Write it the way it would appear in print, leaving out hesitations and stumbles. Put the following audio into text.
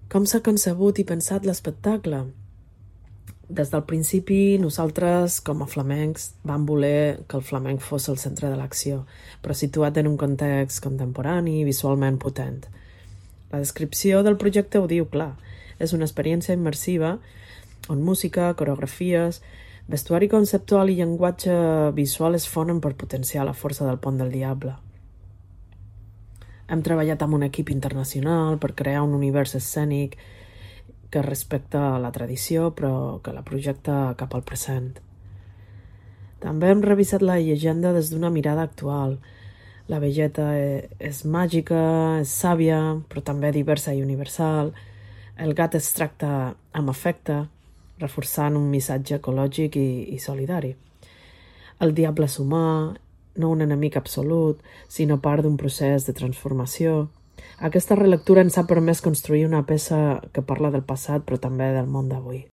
Com s'ha concebut i pensat l'espectacle? Des del principi, nosaltres, com a flamencs, vam voler que el flamenc fos el centre de l'acció, però situat en un context contemporani i visualment potent. La descripció del projecte ho diu clar. És una experiència immersiva on música, coreografies, vestuari conceptual i llenguatge visual es fonen per potenciar la força del Pont del Diable. Hem treballat amb un equip internacional per crear un univers escènic que respecta la tradició però que la projecta cap al present. També hem revisat la llegenda des d'una mirada actual. La velleta és màgica, és sàvia, però també diversa i universal. El gat es tracta amb afecte, reforçant un missatge ecològic i solidari. El diable és humà, no un enemic absolut, sinó part d'un procés de transformació. Aquesta relectura ens ha permès construir una peça que parla del passat però també del món d'avui.